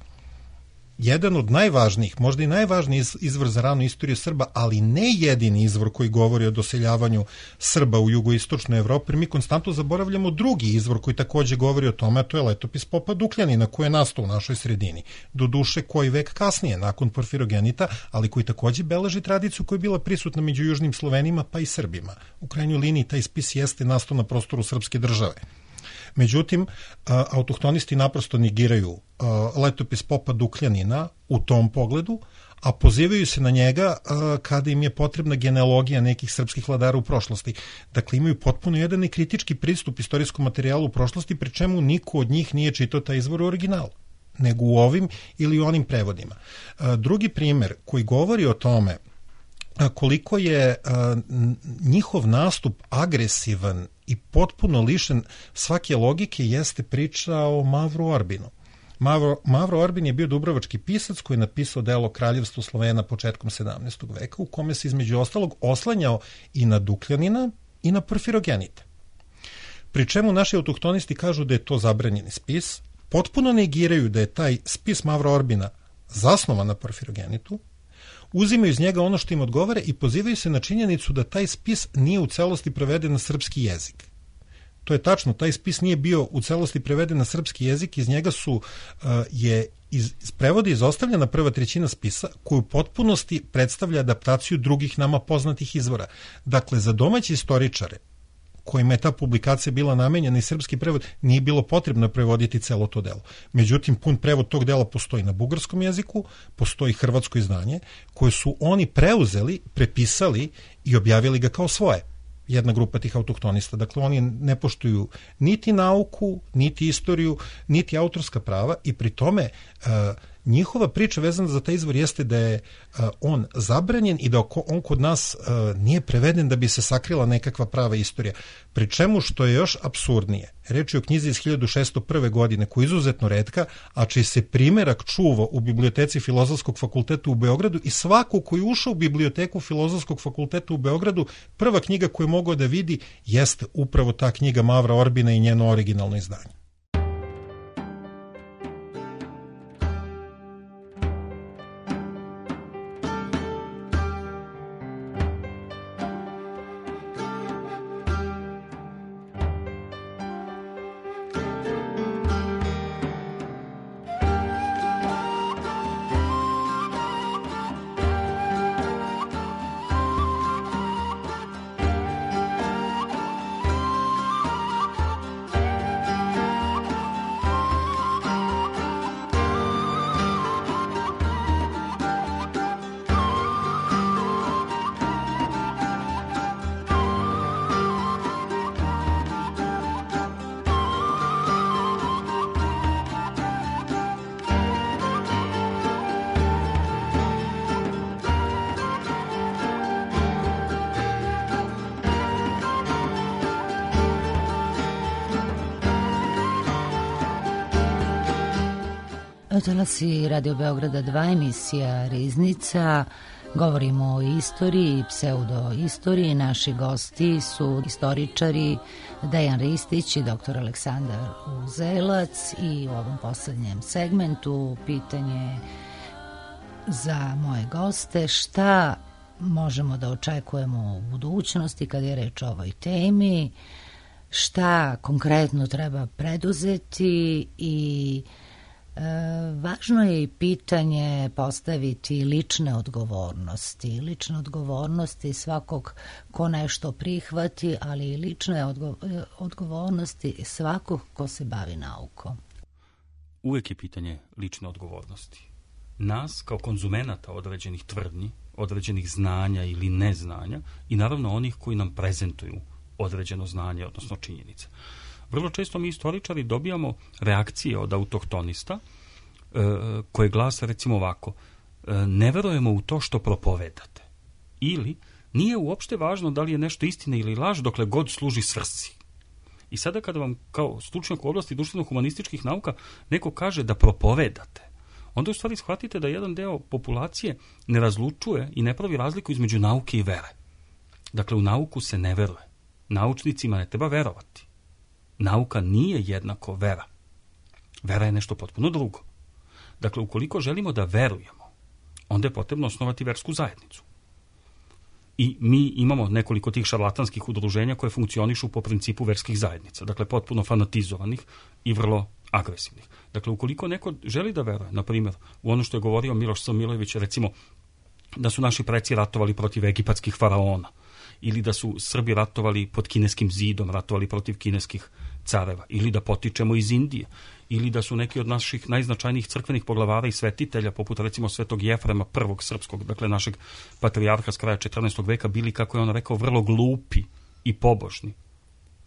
Jedan od najvažnijih, možda i najvažniji izvor za ranu istoriju Srba, ali ne jedini izvor koji govori o doseljavanju Srba u jugoistočnoj Evropi, jer mi konstantno zaboravljamo drugi izvor koji takođe govori o tome, a to je letopis Popa Dukljanina koji je nastao u našoj sredini. Doduše koji vek kasnije, nakon Porfirogenita, ali koji takođe beleži tradiciju koja je bila prisutna među južnim Slovenima pa i Srbima. U krajnjoj liniji taj spis jeste nastao na prostoru srpske države. Međutim, autohtonisti naprosto negiraju letopis Popa Dukljanina u tom pogledu, a pozivaju se na njega kada im je potrebna genealogija nekih srpskih vladara u prošlosti. Dakle, imaju potpuno jedan kritički pristup istorijskom materijalu u prošlosti, pri čemu niko od njih nije čitao taj izvor u originalu, nego u ovim ili onim prevodima. Drugi primer koji govori o tome koliko je njihov nastup agresivan i potpuno lišen svake logike jeste priča o Mavru Orbinu. Mavro Orbin je bio dubrovački pisac koji je napisao delo Kraljevstvo Slovena početkom 17. veka u kome se između ostalog oslanjao i na Dukljanina i na Porfirogenita. Pri čemu naši autohtonisti kažu da je to zabranjeni spis, potpuno negiraju da je taj spis Mavra Orbina zasnovan na Porfirogenitu, uzimaju iz njega ono što im odgovara i pozivaju se na činjenicu da taj spis nije u celosti preveden na srpski jezik. To je tačno, taj spis nije bio u celosti preveden na srpski jezik, iz njega iz prevoda izostavljena prva trećina spisa, koju u potpunosti predstavlja adaptaciju drugih nama poznatih izvora. Dakle, za domaće istoričare kojima je ta publikacija bila namenjena i srpski prevod, nije bilo potrebno prevoditi celo to delo. Međutim, pun prevod tog dela postoji na bugarskom jeziku, postoji hrvatsko izdanje, koje su oni preuzeli, prepisali i objavili ga kao svoje. Jedna grupa tih autohtonista. Dakle, oni ne poštuju niti nauku, niti istoriju, niti autorska prava i pri tome njihova priča vezana za taj izvor jeste da je on zabranjen i da on kod nas nije preveden da bi se sakrila nekakva prava istorija. Pri čemu, što je još apsurdnije, reč je o knjizi iz 1601. godine koja je izuzetno retka, a čiji se primerak čuva u biblioteci Filozofskog fakulteta u Beogradu i svako koji je ušao u biblioteku Filozofskog fakulteta u Beogradu, prva knjiga koju je mogao da vidi jeste upravo ta knjiga Mavra Orbina i njeno originalno izdanje. Talasi Radio Beograda 2, emisija Riznica. Govorimo o istoriji, pseudoistoriji. Naši gosti su istoričari Dejan Ristić i dr. Aleksandar Uzelac i u ovom poslednjem segmentu pitanje za moje goste: šta možemo da očekujemo u budućnosti kad je reč o ovoj temi, šta konkretno treba preduzeti i važno je i pitanje postaviti lične odgovornosti svakog ko nešto prihvati, ali i lične odgovornosti svakog ko se bavi naukom. Uvek je pitanje lične odgovornosti. Nas kao konzumenata određenih tvrdnji, određenih znanja ili neznanja i naravno onih koji nam prezentuju određeno znanje, odnosno činjenice. Vrlo često mi istoričari dobijamo reakcije od autohtonista koje glase recimo ovako: ne verujemo u to što propovedate. Ili nije uopšte važno da li je nešto istina ili laž dokle god služi svrsi. I sada kada vam kao stručnjak u oblasti društveno-humanističkih nauka neko kaže da propovedate, onda u stvari shvatite da jedan deo populacije ne razlučuje i ne pravi razliku između nauke i vere. Dakle, u nauku se ne veruje. Naučnicima ne treba verovati. Nauka nije jednako vera. Vera je nešto potpuno drugo. Dakle, ukoliko želimo da verujemo, onda je potrebno osnovati versku zajednicu. I mi imamo nekoliko tih šarlatanskih udruženja koje funkcionišu po principu verskih zajednica. Dakle, potpuno fanatizovanih i vrlo agresivnih. Dakle, ukoliko neko želi da veruje, na primjer, u ono što je govorio Miloš Samilović, recimo, da su naši preci ratovali protiv egipatskih faraona, ili da su Srbi ratovali pod kineskim zidom, ratovali protiv kineskih careva, ili da potičemo iz Indije, ili da su neki od naših najznačajnijih crkvenih poglavara i svetitelja, poput recimo svetog Jefrema prvog srpskog, dakle našeg patrijarha s kraja 14. veka, bili, kako je on rekao, vrlo glupi i pobožni.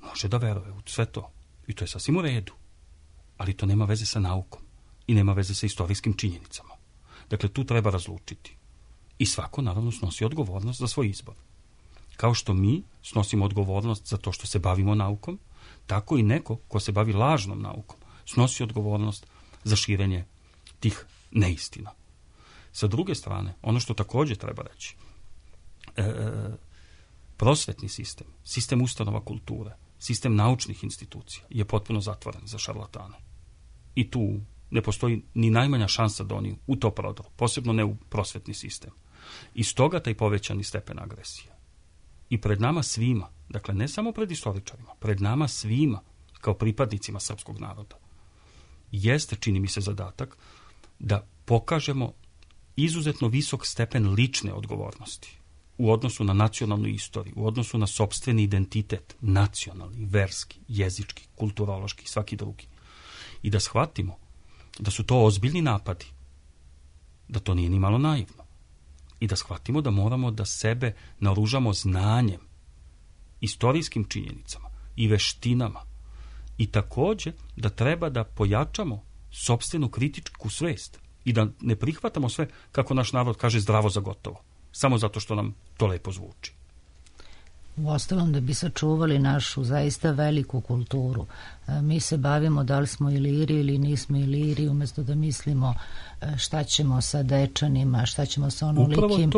Može da veruje u sve to. I to je sasvim u redu. Ali to nema veze sa naukom i nema veze sa istorijskim činjenicama. Dakle, tu treba razlučiti. I svako, naravno, snosi odgovornost za svoj izbor. Kao što mi snosimo odgovornost za to što se bavimo naukom, tako i neko ko se bavi lažnom naukom snosi odgovornost za širenje tih neistina. Sa druge strane, ono što također treba reći, prosvetni sistem, sistem ustanova kulture, sistem naučnih institucija je potpuno zatvoren za šarlatane. I tu ne postoji ni najmanja šansa da oni u to prodru, posebno ne u prosvetni sistem. I stoga taj povećani stepen agresije. I pred nama svima, dakle ne samo pred istoričarima, pred nama svima, kao pripadnicima srpskog naroda, jeste, čini mi se, zadatak da pokažemo izuzetno visok stepen lične odgovornosti u odnosu na nacionalnu istoriju, u odnosu na sopstveni identitet, nacionalni, verski, jezički, kulturološki, svaki drugi. I da shvatimo da su to ozbiljni napadi, da to nije ni malo naivno. I da shvatimo da moramo da sebe naoružamo znanjem, istorijskim činjenicama i veštinama. I takođe da treba da pojačamo sopstvenu kritičku svest i da ne prihvatamo sve, kako naš narod kaže, zdravo za gotovo, samo zato što nam to lepo zvuči. Uostalom, da bi sačuvali našu zaista veliku kulturu, mi se bavimo da li smo Iliri ili nismo Iliri, umesto da mislimo šta ćemo sa Dečanima, šta ćemo sa onolikim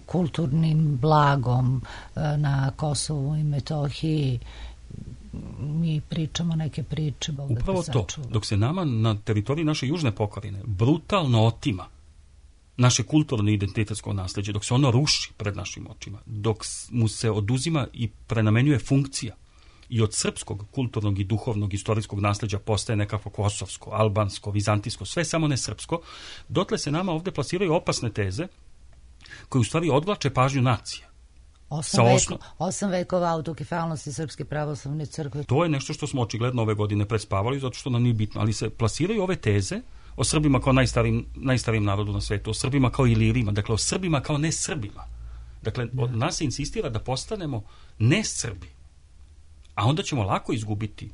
kulturnim blagom na Kosovu i Metohiji. Mi pričamo neke priče. Upravo to, dok se nama na teritoriji naše južne pokrajine brutalno otima naše kulturno i identitetsko nasleđe, dok se ono ruši pred našim očima, dok mu se oduzima i prenamenjuje funkcija i od srpskog kulturnog i duhovnog istorijskog nasleđa postaje nekako kosovsko, albansko, vizantijsko, sve samo ne srpsko, dotle se nama ovde plasiraju opasne teze koje u stvari odvlače pažnju nacije. 8 vekova autokefalnosti Srpske pravoslavne crkve. To je nešto što smo očigledno ove godine prespavali, zato što nam nije bitno, ali se plasiraju ove teze o Srbima kao najstarijim narodu na svetu, o Srbima kao Ilirima, dakle o Srbima kao ne Srbima. Dakle, od nas se insistira da postanemo ne Srbi, a onda ćemo lako izgubiti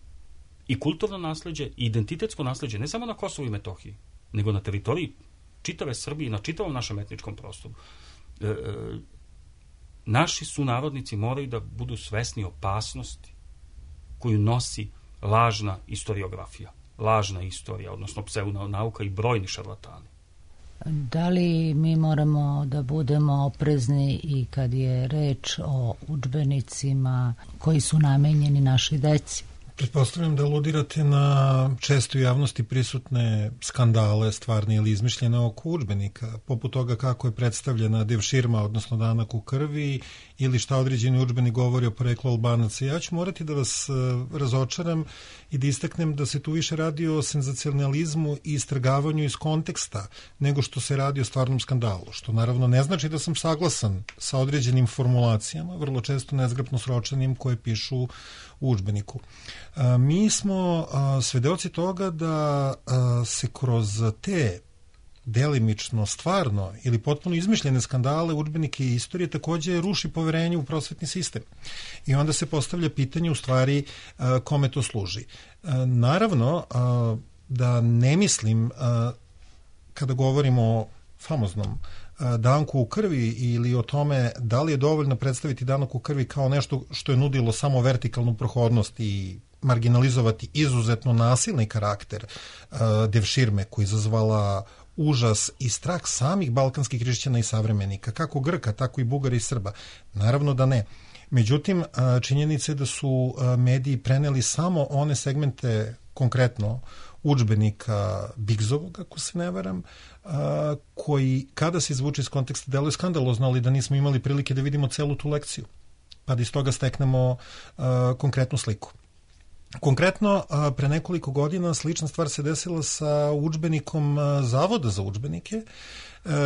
i kulturno nasleđe i identitetsko nasleđe, ne samo na Kosovu i Metohiji, nego na teritoriji čitave Srbije, na čitavom našem etničkom prostoru. Naši sunarodnici moraju da budu svesni opasnosti koju nosi lažna historiografija, lažna istorija, odnosno pseudonauka i brojni šarlatani. Da li mi moramo da budemo oprezni i kad je reč o udžbenicima koji su namenjeni našoj deci? Pretpostavljam da aludirate na često u javnosti prisutne skandale, stvarne ili izmišljene oko udžbenika, poput toga kako je predstavljena devširma, odnosno danak u krvi, ili šta određeni udžbenik govori o poreklu Albanaca. Ja ću morati da vas razočaram i da istaknem da se tu više radi o senzacionalizmu i istrgavanju iz konteksta nego što se radi o stvarnom skandalu, što naravno ne znači da sam saglasan sa određenim formulacijama, vrlo često nezgrapno sročenim, koje pišu u udžbeniku. Mi smo svedoci toga da se kroz te delimično, stvarno ili potpuno izmišljene skandale, udžbenike i istorije takođe ruši poverenje u prosvetni sistem. I onda se postavlja pitanje u stvari kome to služi. Naravno da ne mislim, kada govorimo o famoznom danku u krvi ili o tome da li je dovoljno predstaviti danak u krvi kao nešto što je nudilo samo vertikalnu prohodnost i marginalizovati izuzetno nasilni karakter devširme koja je izazvala užas i strah samih balkanskih hrišćana i savremenika, kako Grka, tako i Bugara i Srba. Naravno da ne. Međutim, činjenica je da su mediji preneli samo one segmente, konkretno udžbenika Bigzovog, ako se ne varam, koji, kada se izvuče iz konteksta, deluje skandalozno, ali da nismo imali prilike da vidimo celu tu lekciju, pa da iz toga steknemo konkretnu sliku. Konkretno, pre nekoliko godina slična stvar se desila sa udžbenikom Zavoda za udžbenike,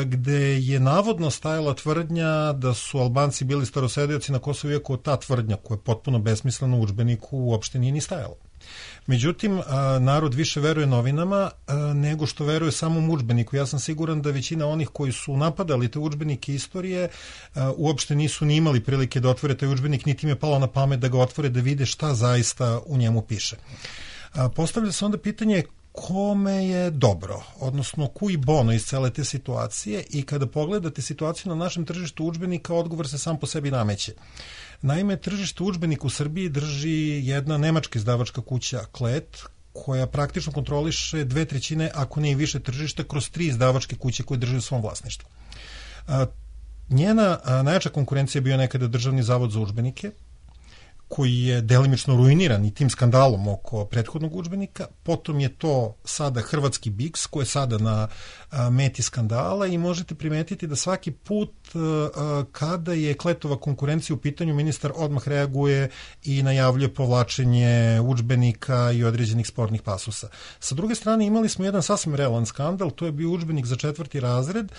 gde je navodno stajala tvrdnja da su Albanci bili starosedeoci na Kosovu, iako ta tvrdnja, koja je potpuno besmislena u udžbeniku, uopšte nije ni stajala. Međutim, narod više veruje novinama nego što veruje samom udžbeniku. Ja sam siguran da većina onih koji su napadali te udžbenike istorije uopšte nisu ni imali prilike da otvore taj udžbenik, niti im je palo na pamet da ga otvore, da vide šta zaista u njemu piše. Postavlja se onda pitanje kome je dobro, odnosno cui bono iz cele te situacije, i kada pogledate situaciju na našem tržištu udžbenika, odgovor se sam po sebi nameće. Naime, tržište udžbenika u Srbiji drži jedna nemačka izdavačka kuća Klet, koja praktično kontroliše 2/3, ako ne i više tržišta, kroz 3 izdavačke kuće koje drže u svom vlasništvu. Njena najjača konkurencija je bio nekada Državni zavod za udžbenike, koji je delimično ruiniran i tim skandalom oko prethodnog udžbenika, potom je to sada hrvatski Biks koji je sada na meti skandala i možete primetiti da svaki put kada je Kletova konkurencija u pitanju, ministar odmah reaguje i najavljuje povlačenje udžbenika i određenih spornih pasusa. Sa druge strane imali smo jedan sasvim realan skandal, to je bio udžbenik za 4. razred,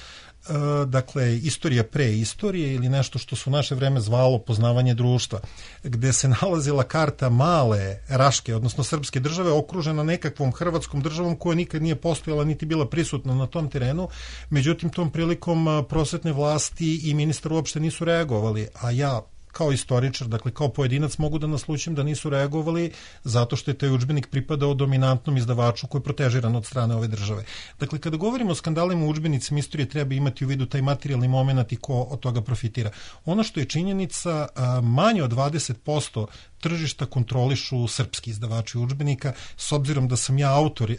dakle istorija pre istorije ili nešto što su u naše vreme zvalo poznavanje društva, gde se nalazila karta male Raške, odnosno srpske države, okružena nekakvom hrvatskom državom koja nikad nije postojala niti bila prisutna na tom terenu. Međutim, tom prilikom prosvetne vlasti i ministar uopšte nisu reagovali, a ja kao istoričar, dakle kao pojedinac mogu da naslučim da nisu reagovali zato što je taj udžbenik pripadao dominantnom izdavaču koji je protežiran od strane ove države. Dakle, kada govorimo o skandalima u udžbenicima istorije, treba imati u vidu taj materijalni moment i ko od toga profitira. Ono što je činjenica, manje od 20% tržišta kontrolišu srpski izdavači udžbenika, s obzirom da sam ja autor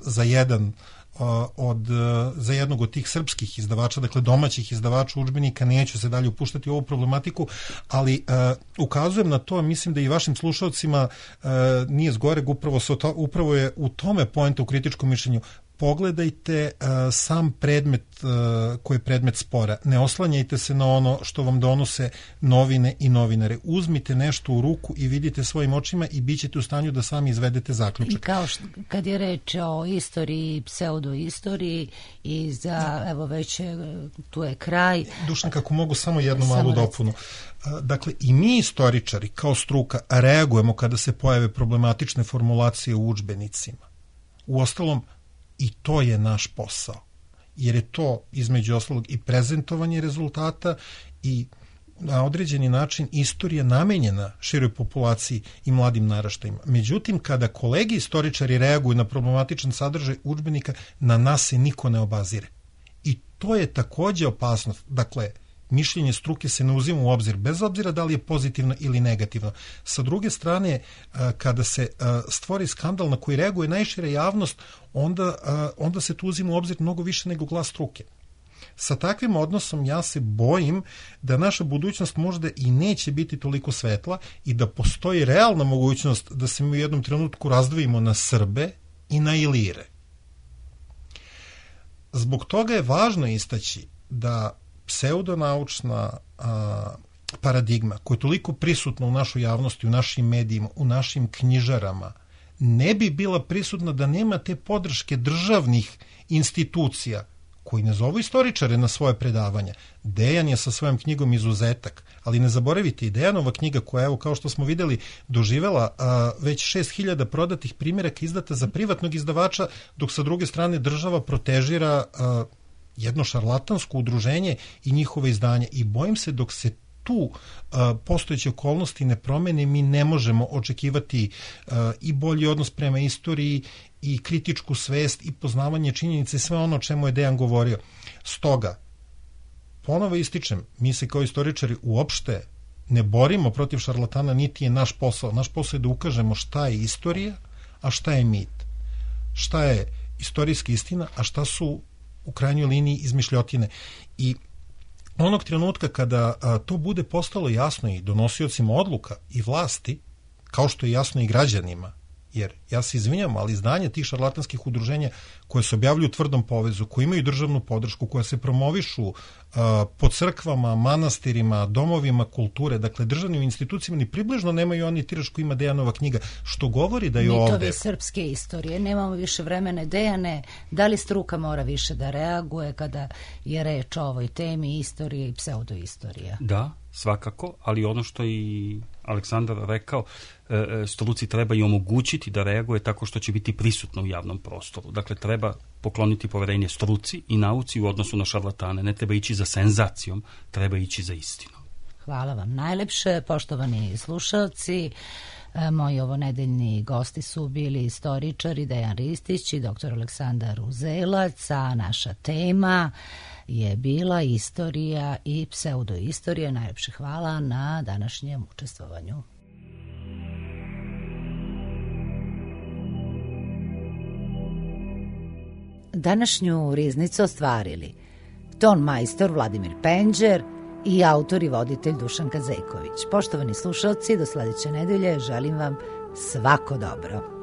za jednog od tih srpskih izdavača, dakle domaćih izdavača udžbenika, neću se dalje upuštati u ovu problematiku, ali ukazujem na to, mislim da i vašim slušalcima nije zgoreg, upravo je u tome poenta u kritičkom mišljenju. Pogledajte sam predmet koji je predmet spora. Ne oslanjajte se na ono što vam donose novine i novinare. Uzmite nešto u ruku i vidite svojim očima i bit ćete u stanju da sami izvedete zaključak. I kao kad je reč o istoriji, pseudoistoriji i za, evo već tu je kraj. Dušan, kako mogu samo jednu malu dopunu. Dakle, i mi istoričari kao struka reagujemo kada se pojave problematične formulacije u udžbenicima. Uostalom, i to je naš posao, jer je to između ostalog i prezentovanje rezultata i na određeni način istorija namenjena široj populaciji i mladim naraštajima. Međutim, kada kolegi istoričari reaguju na problematičan sadržaj udžbenika, na nas se niko ne obazire. I to je takođe opasnost. Dakle, mišljenje struke se ne uzima u obzir, bez obzira da li je pozitivno ili negativno. Sa druge strane, kada se stvori skandal na koji reaguje najšira javnost, onda se tu uzima u obzir mnogo više nego glas struke. Sa takvim odnosom ja se bojim da naša budućnost možda i neće biti toliko svetla i da postoji realna mogućnost da se mi u jednom trenutku razdvojimo na Srbe i na Ilire. Zbog toga je važno istaći da pseudonaučna paradigma koja je toliko prisutna u našoj javnosti, u našim medijima, u našim knjižarama, ne bi bila prisutna da nema te podrške državnih institucija koji ne zovu istoričare na svoje predavanja. Dejan je sa svojom knjigom izuzetak, ali ne zaboravite i Dejanova knjiga koja, evo, kao što smo videli, doživela već 6000 prodatih primjeraka izdata za privatnog izdavača, dok sa druge strane država protežira jedno šarlatansko udruženje i njihove izdanje. I bojim se dok se tu postojeće okolnosti ne promene, mi ne možemo očekivati i bolji odnos prema istoriji i kritičku svest i poznavanje činjenice i sve ono o čemu je Dejan govorio. Stoga, ponovo ističem, mi se kao istoričari uopšte ne borimo protiv šarlatana, niti je naš posao. Naš posao je da ukažemo šta je istorija, a šta je mit. Šta je istorijska istina, a šta su u krajnjoj liniji izmišljotine. I onog trenutka kada to bude postalo jasno i donosiocima odluka i vlasti, kao što je jasno i građanima, jer ja se izvinjam, ali izdanje tih šarlatanskih udruženja koje se objavljuju u tvrdom povezu, koje imaju državnu podršku, koje se promovišu po crkvama, manastirima, domovima kulture, dakle državnim institucijama, ni približno nemaju oni tiraž koji ima Dejanova knjiga, što govori da je ovde... Mitovi srpske istorije, nemamo više vremena. Dejane, da li struka mora više da reaguje kada je reč o ovoj temi istorije i pseudoistorija? Da, svakako, ali ono što je i Aleksandar rekao, struci treba i omogućiti da reaguje tako što će biti prisutno u javnom prostoru. Dakle, treba pokloniti poverenje struci i nauci u odnosu na šarlatane. Ne treba ići za senzacijom, treba ići za istinom. Hvala vam najlepše, poštovani slušalci. Moji ovonedeljni gosti su bili istoričari Dejan Ristić i dr. Aleksandar Uzelac, a naša tema je bila istorija i pseudoistorija. Najlepše hvala na današnjem učestvovanju. Današnju riznicu ostvarili ton majstor Vladimir Penđer i autor i voditelj Dušan Kazeković. Poštovani slušalci, do sledeće nedelje želim vam svako dobro.